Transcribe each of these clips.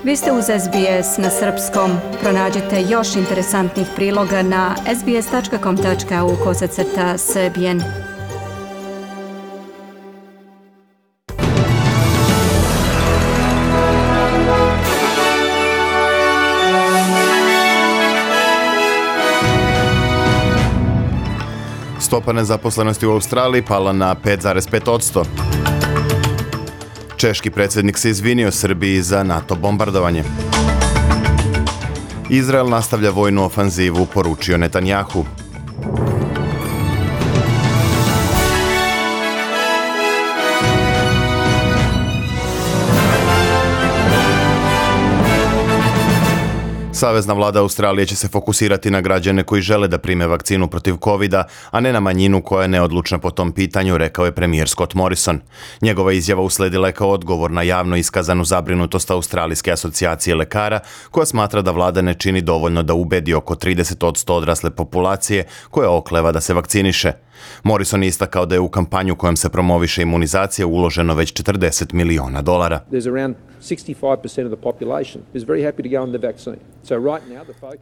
Vi ste uz SBS na srpskom. Pronađite još interesantnih priloga na sbs.com.au/srbijen. Stopa nezaposlenosti u Australiji pala na 5,5%. Češki predsjednik se izvinio Srbiji za NATO bombardovanje. Izrael nastavlja vojnu ofanzivu, poručio Netanjahu. Savezna vlada Australije će se fokusirati na građane koji žele da prime vakcinu protiv covida, a ne na manjinu koja je neodlučna po tom pitanju, rekao je premijer Scott Morrison. Njegova izjava usledila je kao odgovor na javno iskazanu zabrinutost Australijske asocijacije lekara, koja smatra da vlada ne čini dovoljno da ubedi oko 30% odrasle populacije koja okleva da se vakciniše. Morrison je istakao da je u kampanju kojom se promoviše imunizacija uloženo već $40 miliona.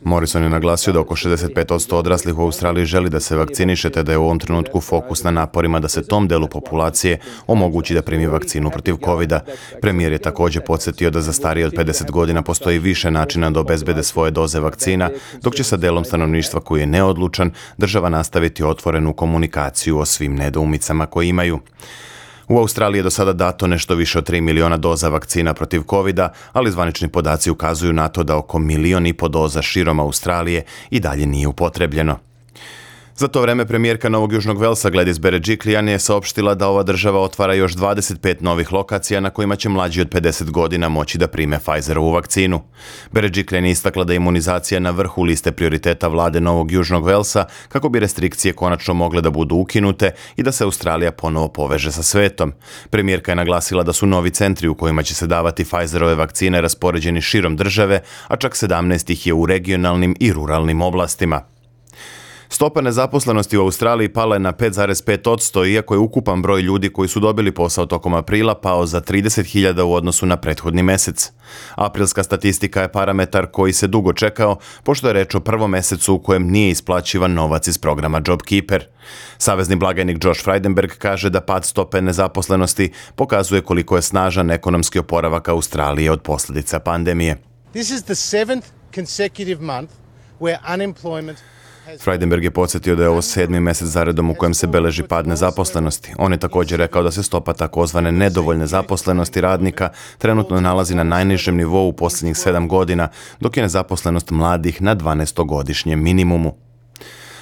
Morrison je naglasio da oko 65% odraslih u Australiji želi da se vakciniše, te da je u ovom trenutku fokus na naporima da se tom delu populacije omogući da primi vakcinu protiv covida. Premijer je također podsjetio da za starije od 50 godina postoji više načina da obezbede svoje doze vakcina, dok će sa delom stanovništva koji je neodlučan država nastaviti otvorenu komunikaciju o svim nedoumicama koje imaju. U Australiji je do sada dato nešto više od 3 miliona doza vakcina protiv covida, ali zvanični podaci ukazuju na to da oko 1,5 miliona doza širom Australije i dalje nije upotrebljeno. Za to vreme premijerka Novog Južnog Velsa Gladys Berejiklian je saopštila da ova država otvara još 25 novih lokacija na kojima će mlađi od 50 godina moći da prime Pfizerovu vakcinu. Berejiklian je istakla da je imunizacija na vrhu liste prioriteta vlade Novog Južnog Velsa kako bi restrikcije konačno mogle da budu ukinute i da se Australija ponovo poveže sa svetom. Premijerka je naglasila da su novi centri u kojima će se davati Pfizerove vakcine raspoređeni širom države, a čak 17 ih je u regionalnim i ruralnim oblastima. Stopa nezaposlenosti u Australiji pala je na 5,5%, iako je ukupan broj ljudi koji su dobili posao tokom aprila pao za 30.000 u odnosu na prethodni mesec. Aprilska statistika je parametar koji se dugo čekao, pošto je reč o prvom mesecu u kojem nije isplaćivan novac iz programa JobKeeper. Savezni blagajnik Josh Frydenberg kaže da pad stope nezaposlenosti pokazuje koliko je snažan ekonomski oporavak Australije od posljedica pandemije. This is the 7th consecutive month where unemployment. Frydenberg je podsjetio da je ovo 7. mesec zaredom u kojem se beleži pad nezaposlenosti. On je također rekao da se stopa takozvane nedovoljne zaposlenosti radnika trenutno nalazi na najnižem nivou u posljednjih 7 godina, dok je nezaposlenost mladih na 12-godišnjem minimumu.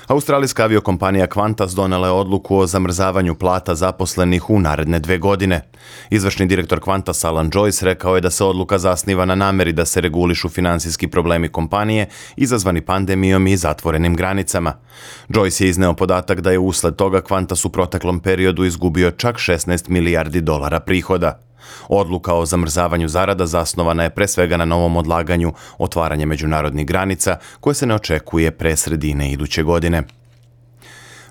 Australijska aviokompanija Qantas donela je odluku o zamrzavanju plata zaposlenih u naredne 2 godine. Izvršni direktor Qantas Alan Joyce rekao je da se odluka zasniva na nameri da se regulišu finansijski problemi kompanije izazvani pandemijom i zatvorenim granicama. Joyce je izneo podatak da je usled toga Qantas u proteklom periodu izgubio čak $16 milijardi prihoda. Odluka o zamrzavanju zarada zasnovana je pre svega na novom odlaganju otvaranja međunarodnih granica koje se ne očekuje pre sredine iduće godine.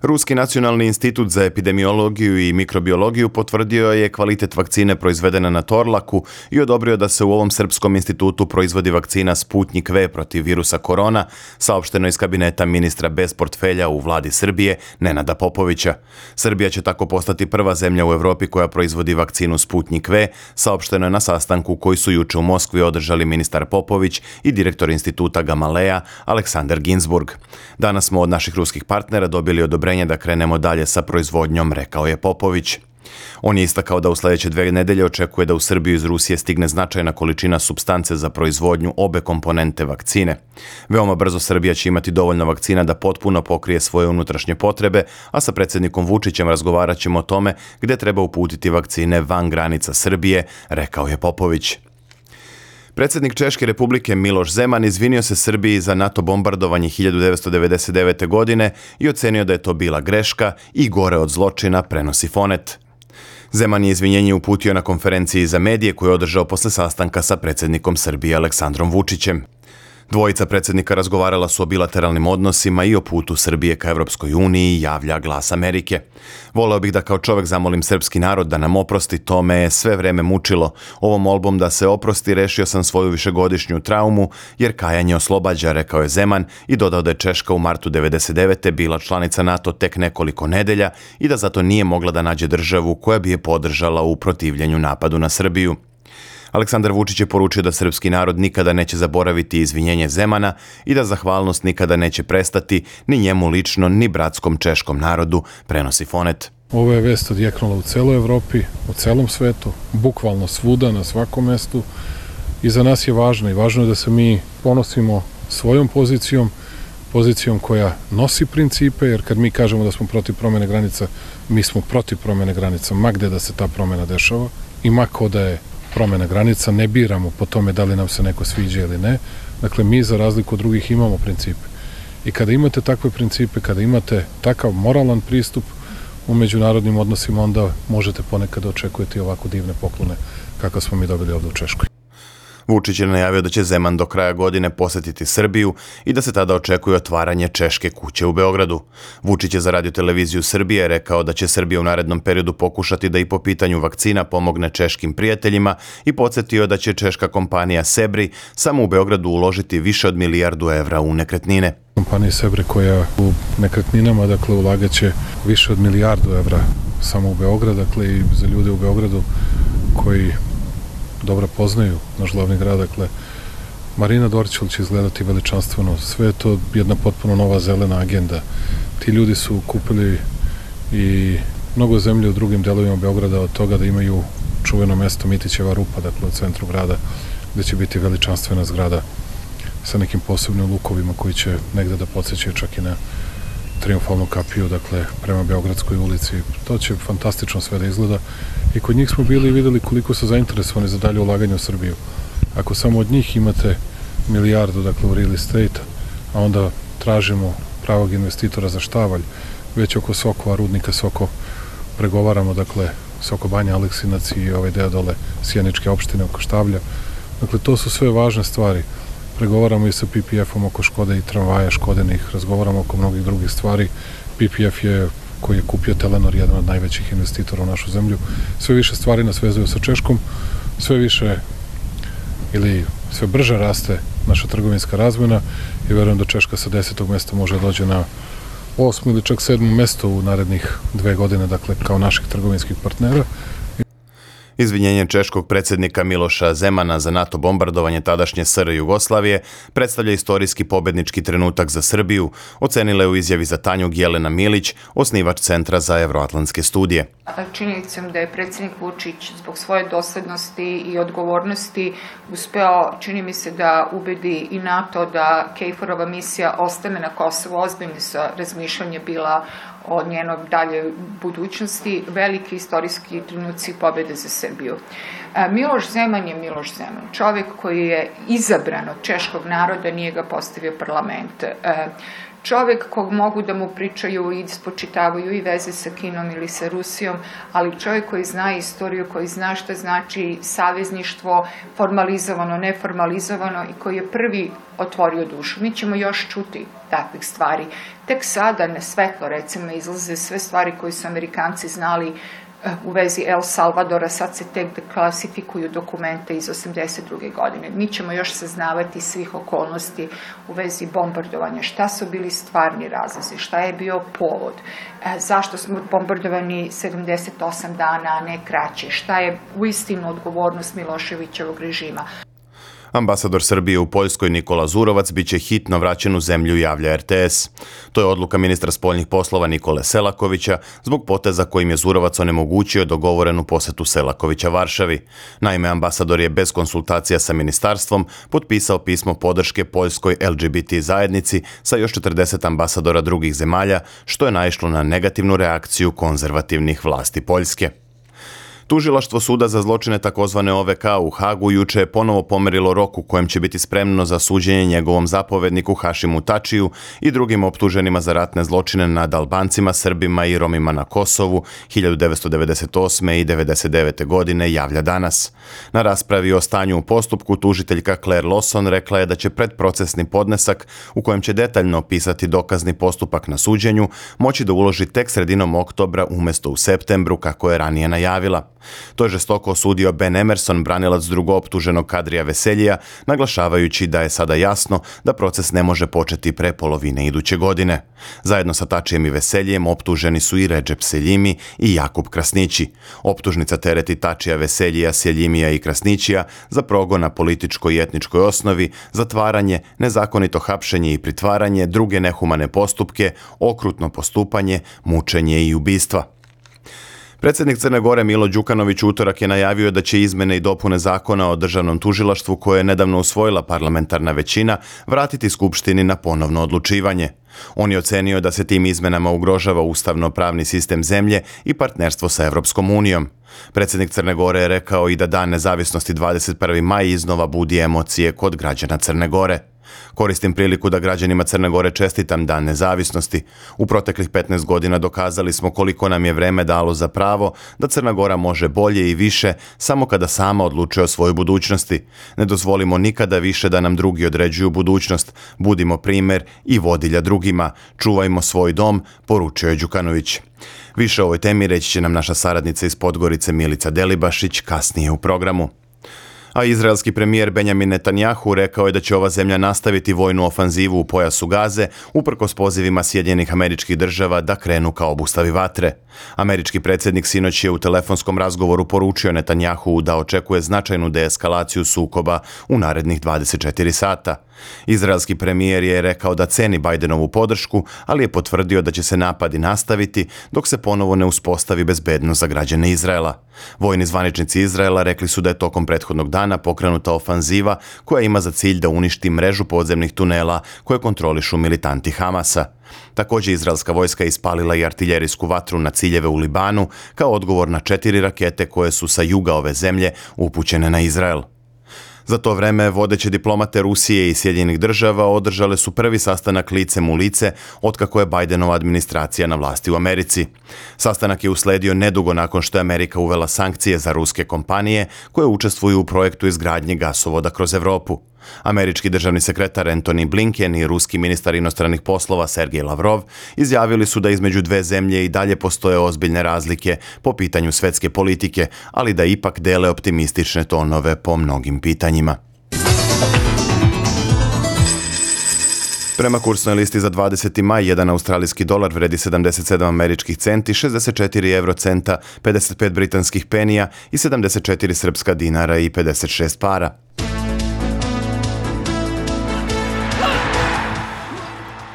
Ruski nacionalni institut za epidemiologiju i mikrobiologiju potvrdio je kvalitet vakcine proizvedene na Torlaku i odobrio da se u ovom srpskom institutu proizvodi vakcina Sputnik V protiv virusa korona, saopšteno iz kabineta ministra bez portfelja u vladi Srbije, Nenada Popovića. Srbija će tako postati prva zemlja u Evropi koja proizvodi vakcinu Sputnik V, saopšteno je na sastanku koji su juče u Moskvi održali ministar Popović i direktor instituta Gamaleja Aleksandar Ginsburg. Danas smo od naših ruskih partnera dobili odobrenje da krenemo dalje sa proizvodnjom, rekao je Popović. On je istakao da u sljedeće 2 nedelje očekuje da u Srbiju iz Rusije stigne značajna količina supstance za proizvodnju obe komponente vakcine. Veoma brzo Srbija će imati dovoljno vakcina da potpuno pokrije svoje unutrašnje potrebe, a sa predsjednikom Vučićem razgovarat ćemo o tome gdje treba uputiti vakcine van granica Srbije, rekao je Popović. Predsjednik Češke republike Miloš Zeman izvinio se Srbiji za NATO bombardovanje 1999. godine i ocenio da je to bila greška i gore od zločina, prenosi Fonet. Zeman je izvinjenje uputio na konferenciji za medije koju je održao posle sastanka sa predsjednikom Srbije Aleksandrom Vučićem. Dvojica predsjednika razgovarala su o bilateralnim odnosima i o putu Srbije ka Evropskoj uniji, javlja Glas Amerike. Voleo bih da kao čovjek zamolim srpski narod da nam oprosti, to me je sve vreme mučilo. Ovom molbom da se oprosti rešio sam svoju višegodišnju traumu, jer kajanje oslobađa, rekao je Zeman i dodao da je Češka u martu 1999. bila članica NATO tek nekoliko nedelja i da zato nije mogla da nađe državu koja bi je podržala u protivljenju napadu na Srbiju. Aleksandar Vučić je poručio da srpski narod nikada neće zaboraviti izvinjenje Zemana i da zahvalnost nikada neće prestati ni njemu lično, ni bratskom češkom narodu, prenosi Fonet. Ovo je vest odjeknula u celoj Evropi, u celom svetu, bukvalno svuda, na svakom mestu. I za nas je važno i važno je da se mi ponosimo svojom pozicijom koja nosi principe, jer kad mi kažemo da smo protiv promjene granica, mi smo protiv promjene granica, ma gde da se ta promjena dešava i ma ko da je promjena granica, ne biramo po tome da li nam se neko sviđa ili ne. Dakle, mi za razliku od drugih imamo principe. I kada imate takve principe, kada imate takav moralan pristup u međunarodnim odnosima, onda možete ponekad očekujete ovako divne poklone kakve smo mi dobili ovdje u Češkoj. Vučić je najavio da će Zeman do kraja godine posetiti Srbiju i da se tada očekuje otvaranje Češke kuće u Beogradu. Vučić je za Radio-televiziju Srbije rekao da će Srbija u narednom periodu pokušati da i po pitanju vakcina pomogne češkim prijateljima i podsjetio da će češka kompanija Sebri samo u Beogradu uložiti više od milijardu evra u nekretnine. Kompanija Sebri koja u nekretninama, dakle, ulagaće više od milijardu evra samo u Beograd, dakle, i za ljude u Beogradu koji dobro poznaju naš glavni grad, dakle, Marina Dorćol će izgledati veličanstveno, sve je to jedna potpuno nova zelena agenda. Ti ljudi su kupili i mnogo zemlje u drugim delovima Beograda, od toga da imaju čuveno mesto Mitićeva rupa, dakle, u centru grada, gde će biti veličanstvena zgrada sa nekim posebnim lukovima koji će negde da podsjećaju čak i na Triumfalnu kapiju, dakle, prema Beogradskoj ulici. To će fantastično sve da izgleda. I kod njih smo bili i videli koliko su zainteresovani za dalje ulaganje u Srbiju. Ako samo od njih imate milijardu, dakle, u real estate, a onda tražimo pravog investitora za Štavalj, već oko Sokova, rudnika Soko, pregovaramo, dakle, Soko Banja, Aleksinac i ovaj deo dole Sjeničke opštine oko Štavlja. Dakle, to su sve važne stvari. Pregovaramo i sa PPF-om oko Škode i tramvaja Škodenih, razgovaramo oko mnogih drugih stvari. PPF je, koji je kupio Telenor, jedan od najvećih investitora u našu zemlju. Sve više stvari nas vezuju sa Češkom, sve više ili sve brže raste naša trgovinska razmena i verujem da Češka sa 10. mesta može dođe na 8. ili čak 7. mesto u narednih 2 godine, dakle, kao naših trgovinskih partnera. Izvinjenje češkog predsjednika Miloša Zemana za NATO bombardovanje tadašnje SR Jugoslavije predstavlja istorijski pobednički trenutak za Srbiju, ocenila je u izjavi za Tanjug Jelena Milić, osnivač Centra za evroatlantske studije. Činjenicom da je predsjednik Vučić zbog svoje doslednosti i odgovornosti uspeo, čini mi se, da ubedi i NATO da KFOR-ova misija ostane na Kosovu. Ozbiljno su razmišljanje bila o njenoj daljoj budućnosti, veliki istorijski trenuci pobjede za Srbiju. Miloš Zeman je Miloš Zeman, čovjek koji je izabran od češkog naroda, nije ga postavio parlament. Čovjek kog mogu da mu pričaju i spočitavaju i veze sa Kinom ili sa Rusijom, ali čovjek koji zna istoriju, koji zna šta znači savezništvo, formalizovano, neformalizovano i koji je prvi otvorio dušu. Mi ćemo još čuti takvih stvari. Tek sada na svetlo, recimo, izlaze sve stvari koje su Amerikanci znali u vezi El Salvadora, sad se tek klasifikuju dokumente iz 82. godine. Mi ćemo još saznavati svih okolnosti u vezi bombardovanja, šta su bili stvarni razlozi, šta je bio povod, zašto smo bombardovani 78 dana, a ne kraće, šta je uistinu odgovornost Miloševićevog režima. Ambasador Srbije u Poljskoj Nikola Zurovac biće hitno vraćen u zemlju, javlja RTS. To je odluka ministra spoljnih poslova Nikole Selakovića zbog poteza kojim je Zurovac onemogućio dogovorenu posetu Selakovića Varšavi. Naime, ambasador je bez konsultacija sa ministarstvom potpisao pismo podrške poljskoj LGBT zajednici sa još 40 ambasadora drugih zemalja, što je naišlo na negativnu reakciju konzervativnih vlasti Poljske. Tužilaštvo suda za zločine takozvane OVK u Hagu juče je ponovo pomerilo rok u kojem će biti spremno za suđenje njegovom zapovedniku Hašimu Tačiju i drugim optuženima za ratne zločine nad Albancima, Srbima i Romima na Kosovu 1998. i 1999. godine javlja danas. Na raspravi o stanju u postupku tužiteljka Claire Lawson rekla je da će predprocesni podnesak u kojem će detaljno opisati dokazni postupak na suđenju moći da uloži tek sredinom oktobra umjesto u septembru kako je ranije najavila. To je žestoko osudio Ben Emerson, branilac drugooptuženog Kadrija Veseljija, naglašavajući da je sada jasno da proces ne može početi pre polovine iduće godine. Zajedno sa Tačijem i Veseljijem optuženi su i Redžep Seljimi i Jakub Krasnići. Optužnica tereti Tačija, Veseljija, Seljimija i Krasnićija za progon na političkoj i etničkoj osnovi, zatvaranje, nezakonito hapšenje i pritvaranje, druge nehumane postupke, okrutno postupanje, mučenje i ubistva. Predsjednik Crne Gore Milo Đukanović utorak je najavio da će izmene i dopune zakona o državnom tužilaštvu koje je nedavno usvojila parlamentarna većina vratiti Skupštini na ponovno odlučivanje. On je ocenio da se tim izmenama ugrožava ustavno-pravni sistem zemlje i partnerstvo sa Evropskom unijom. Predsjednik Crne Gore je rekao i da Dan nezavisnosti 21. maj iznova budi emocije kod građana Crne Gore. Koristim priliku da građanima Crne Gore čestitam Dan nezavisnosti. U proteklih 15 godina dokazali smo koliko nam je vreme dalo za pravo da Crna Gora može bolje i više samo kada sama odlučuje o svojoj budućnosti. Ne dozvolimo nikada više da nam drugi određuju budućnost. Budimo primjer i vodilja drugima. Čuvajmo svoj dom, poručio je Đukanović. Više o ovoj temi reći će nam naša saradnica iz Podgorice Milica Delibašić kasnije u programu. A izraelski premijer Benjamin Netanjahu rekao je da će ova zemlja nastaviti vojnu ofanzivu u pojasu Gaze uprkos pozivima Sjedinjenih Američkih Država da krenu ka obustavi vatre. Američki predsjednik sinoć je u telefonskom razgovoru poručio Netanjahu da očekuje značajnu deeskalaciju sukoba u narednih 24 sata. Izraelski premijer je rekao da ceni Bidenovu podršku, ali je potvrdio da će se napadi nastaviti dok se ponovo ne uspostavi bezbednost za građane Izraela. Vojni zvaničnici Izraela rekli su da je tokom prethodnog dana pokrenuta ofanziva koja ima za cilj da uništi mrežu podzemnih tunela koje kontrolišu militanti Hamasa. Također izraelska vojska je ispalila i artiljerijsku vatru na ciljeve u Libanu kao odgovor na 4 rakete koje su sa juga ove zemlje upućene na Izrael. Za to vreme vodeće diplomate Rusije i Sjedinjenih Država održale su prvi sastanak licem u lice otkako je Bidenova administracija na vlasti u Americi. Sastanak je usledio nedugo nakon što je Amerika uvela sankcije za ruske kompanije koje učestvuju u projektu izgradnje gasovoda kroz Evropu. Američki državni sekretar Antony Blinken i ruski ministar inostranih poslova Sergej Lavrov izjavili su da između dve zemlje i dalje postoje ozbiljne razlike po pitanju svjetske politike, ali da ipak dele optimistične tonove po mnogim pitanjima. Prema kursnoj listi za 20. maj, jedan australijski dolar vredi 77 američkih centi, 64 eurocenta, 55 britanskih penija i 74 srpska dinara i 56 para.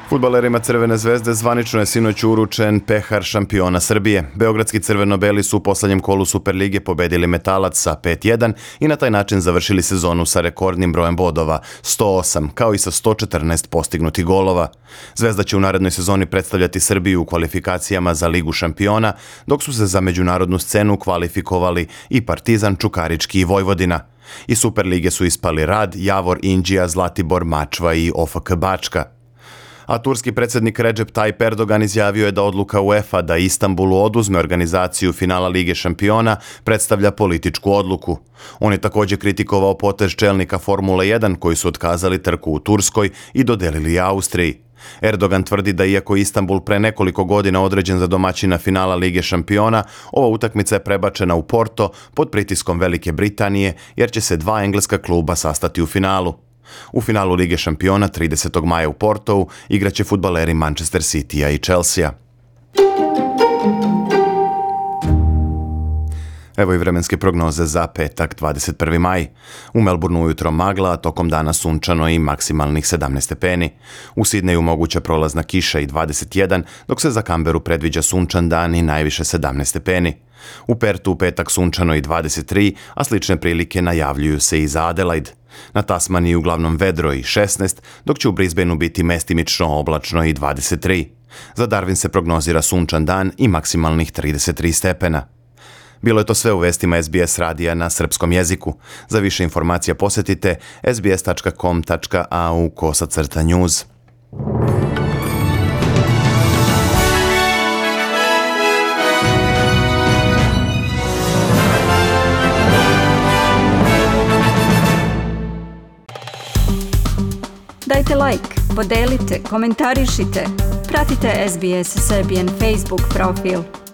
Fudbalerima Crvene zvezde zvanično je sinoć uručen pehar šampiona Srbije. Beogradski crveno-beli su u posljednjem kolu Superlige pobedili Metalac sa 5-1 i na taj način završili sezonu sa rekordnim brojem bodova, 108, kao i sa 114 postignutih golova. Zvezda će u narednoj sezoni predstavljati Srbiju u kvalifikacijama za Ligu šampiona, dok su se za međunarodnu scenu kvalifikovali i Partizan, Čukarički i Vojvodina. Iz Superlige su ispali Rad, Javor, Inđija, Zlatibor, Mačva i OFK Bačka. A turski predsjednik Recep Tayyip Erdogan izjavio je da odluka UEFA da Istanbulu oduzme organizaciju finala Lige šampiona predstavlja političku odluku. On je također kritikovao potez čelnika Formule 1 koji su otkazali trku u Turskoj i dodelili Austriji. Erdogan tvrdi da iako Istanbul pre nekoliko godina određen za domaćina finala Lige šampiona, ova utakmica je prebačena u Porto pod pritiskom Velike Britanije jer će se 2 engleska kluba sastati u finalu. U finalu Lige šampiona 30. maja u Portou igraće fudbaleri Manchester Citya i Chelsea. Evo i vremenske prognoze za petak 21. maj. U Melbourneu ujutro magla, a tokom dana sunčano i maksimalnih 17 stepeni. U Sidneju moguća prolazna kiša i 21, dok se za Canberu predviđa sunčan dan i najviše 17 stepeni. U Pertu u petak sunčano i 23, a slične prilike najavljuju se i za Adelaide. Na Tasmaniji uglavnom vedro i 16, dok će u Brisbaneu biti mestimično oblačno i 23. Za Darwin se prognozira sunčan dan i maksimalnih 33 stepena. Bilo je to sve u vestima SBS radija na srpskom jeziku. Za više informacija posjetite sbs.com.au/news. Dajte like, podelite, komentarišite. Pratite SBS Serbian Facebook profil.